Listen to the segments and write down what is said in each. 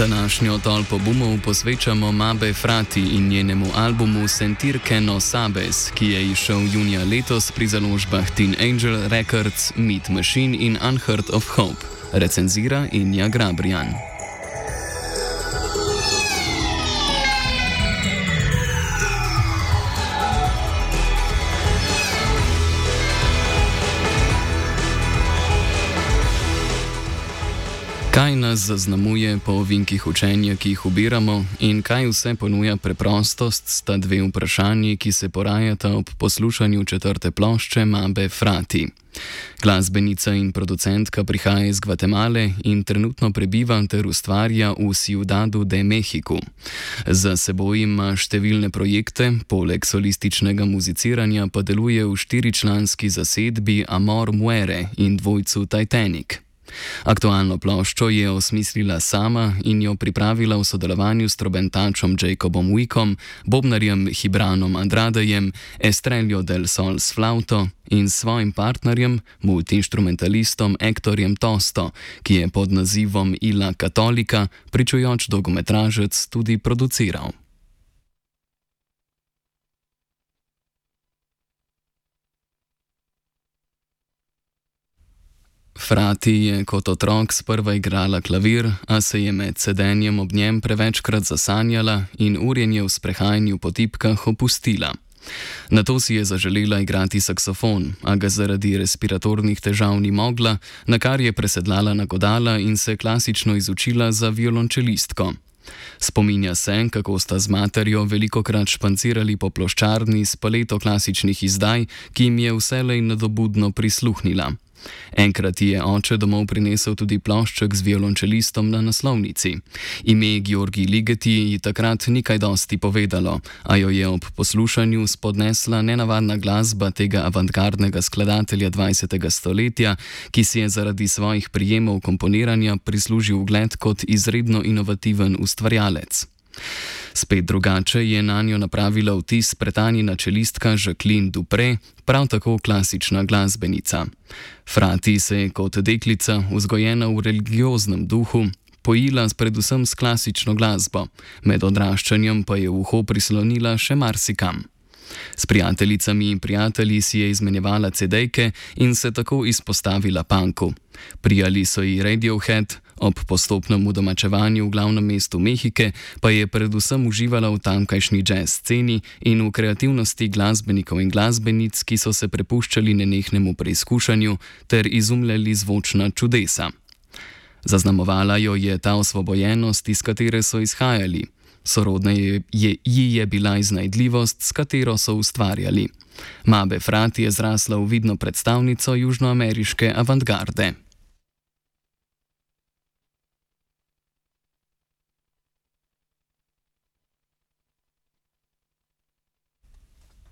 Današnjo tolpo bumov posvečamo Mabe Frati in njenemu albumu Sentir que no sabes, ki je izšel junija letos pri založbah Teen Angel Records, Meat Machine in Unheard of Hope. Recenzira Inja Grabrijan. Kaj nas zaznamuje po ovinkih učenja, ki jih ubiramo, in kaj vse ponuja preprostost, sta dve vprašanji, ki se porajata ob poslušanju četrte plošče Mabe Frati. Glasbenica in producentka prihaja iz Gvatemale in trenutno prebiva ter ustvarja v Ciudadu de México. Za seboj ima številne projekte, poleg solističnega muziciranja pa deluje v štiričlanski zasedbi Amor Muere in dvojcu Titanic. Aktualno ploščo je osmislila sama in jo pripravila v sodelovanju s trobentačem Jacobom Wickom, bobnarjem Hibranom Andradejem, Estrello del Sol s flauto in svojim partnerjem, multiinstrumentalistom Ektorjem Tosto, ki je pod nazivom Ila Katolika pričujoč dolgometražec tudi produciral. Frati je kot otrok sprva igrala klavir, a se je med sedenjem ob njem prevečkrat zasanjala in urjenje v sprehajanju po tipkah opustila. Nato si je zaželela igrati saksofon, a ga zaradi respiratornih težav ni mogla, na kar je presedlala na godala in se klasično izučila za violončelistko. Spominja se, kako sta z materjo velikokrat špancirali po ploščarni s paleto klasičnih izdaj, ki jim je vselej nadobudno prisluhnila. Enkrat je oče domov prinesel tudi plošček z violončelistom na naslovnici. Ime Georgi Ligeti ji takrat ni kaj dosti povedalo, a jo je ob poslušanju spodnesla nenavadna glasba tega avantgardnega skladatelja 20. stoletja, ki si je zaradi svojih prijemov komponiranja prislužil ugled kot izredno inovativen ustvarjalec. Spet drugače je nanjo napravila vtis pretanjena čelistka Jacqueline Dupre, prav tako klasična glasbenica. Frati se je kot deklica, vzgojena v religioznem duhu, pojila predvsem s klasično glasbo, med odraščanjem pa je v uho prislonila še marsikam. S prijateljicami in prijatelji si je izmenjevala CD-jke in se tako izpostavila punku. Prijali so ji Radiohead, ob postopnem udomačevanju v glavnem mestu Mehike pa je predvsem uživala v tamkajšnji jazz sceni in v kreativnosti glasbenikov in glasbenic, ki so se prepuščali nenehnemu preizkušanju ter izumljali zvočna čudesa. Zaznamovala jo je ta osvobojenost, iz katere so izhajali. Sorodna ji je bila iznajdljivost, s katero so ustvarjali. Mabe Frati je zrasla v vidno predstavnico južnoameriške avantgarde.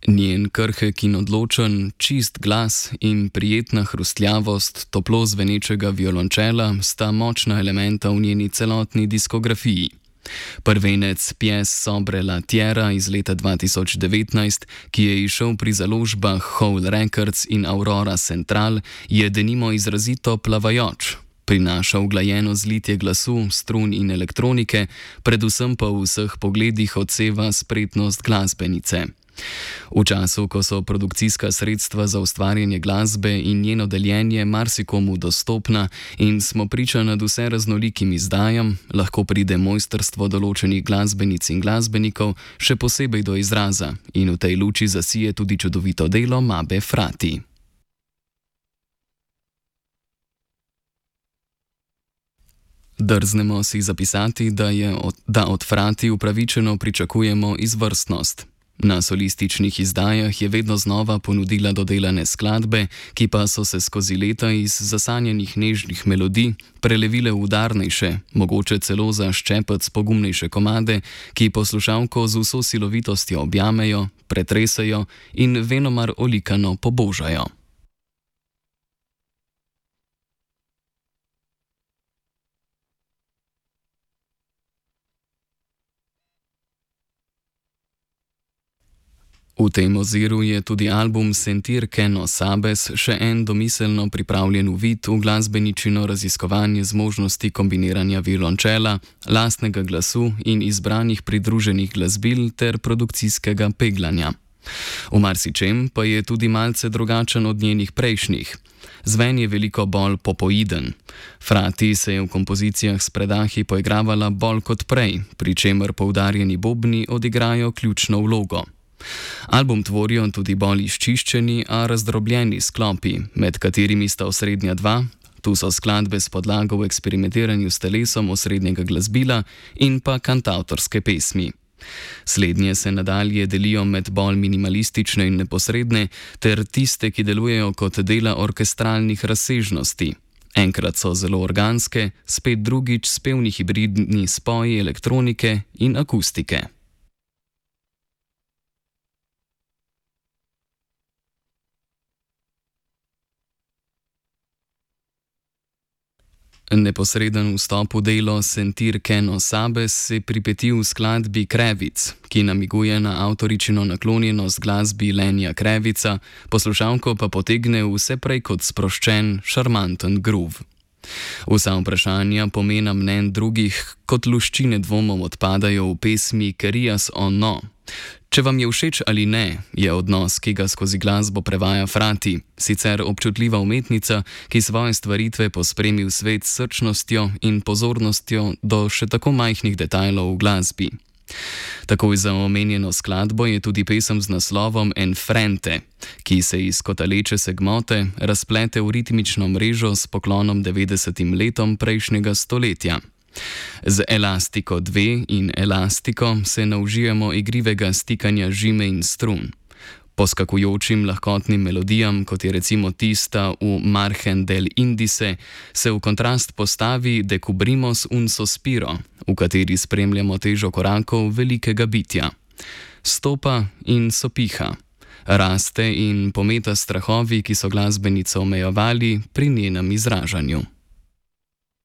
Njen krhek in odločen, čist glas in prijetna hrustljavost toplo zvenečega violončela sta močna elementa v njeni celotni diskografiji. Prvenec Pies sobre la tierra iz leta 2019, ki je izšel pri založbah Howl Records in Aurora Central, je denimo izrazito plavajoč. Prinaša uglajeno zlitje glasu, strun in elektronike, predvsem pa v vseh pogledih odseva spretnost glasbenice. V času, ko so produkcijska sredstva za ustvarjanje glasbe in njeno deljenje marsikomu dostopna in smo priča nad vse raznolikim izdajam, lahko pride mojstrstvo določenih glasbenic in glasbenikov še posebej do izraza in v tej luči zasije tudi čudovito delo Mabe Frati. Drznemo si zapisati, da od Frati upravičeno pričakujemo izvrstnost. Na solističnih izdajah je vedno znova ponudila dodelane skladbe, ki pa so se skozi leta iz zasanjanih nežnih melodij prelevile v udarnejše, mogoče celo za ščepec pogumnejše komade, ki poslušalko z vso silovitostjo objamejo, pretresajo in venomar olikano pobožajo. V tem oziru je tudi album Sentir que no sabes še en domiselno pripravljen uvid v glasbeničino raziskovanje zmožnosti kombiniranja violončela, lastnega glasu in izbranih pridruženih glasbil ter produkcijskega peglanja. V marsičem pa je tudi malce drugačen od njenih prejšnjih. Zven je veliko bolj popoiden. Frati se je v kompozicijah s predahi poigravala bolj kot prej, pri čemer poudarjeni bobni odigrajo ključno vlogo. Album tvorijo tudi bolj izčiščeni, a razdrobljeni sklopi, med katerimi sta osrednja dva, tu so skladbe s podlago v eksperimentiranju s telesom osrednjega glasbila in pa kantavtorske pesmi. Slednje se nadalje delijo med bolj minimalistične in neposredne, ter tiste, ki delujejo kot dela orkestralnih razsežnosti. Enkrat so zelo organske, spet drugič spevni hibridni spoji elektronike in akustike. Neposreden vstop v delo Sentir que no sabes se pripeti v skladbi Krevic, ki namiguje na avtoričino naklonjenost glasbi Lenija Krevica, poslušalko pa potegne vse prej kot sproščen, šarmanten groove. Vsa vprašanja pomena mnenj drugih kot luščine dvomom odpadajo v pesmi Querías o no. Če vam je všeč ali ne, je odnos, ki ga skozi glasbo prevaja Frati, sicer občutljiva umetnica, ki svoje stvaritve pospremi v svet s srčnostjo in pozornostjo do še tako majhnih detajlov v glasbi. Takoj za omenjeno skladbo je tudi pesem z naslovom Enfrente, ki se iz kotaleče se gmote razplete v ritmično mrežo s poklonom 90. letom prejšnjega stoletja. Z Elastiko 2 in Elastiko se naužijemo igrivega stikanja žime in strun. Poskakujočim lahkotnim melodijam, kot je recimo tista v Margen del Indice, se v kontrast postavi Decubrimos un sospiro, v kateri spremljamo težo korakov velikega bitja. Stopa in sopiha. Raste in pometa strahovi, ki so glasbenico omejevali pri njenem izražanju.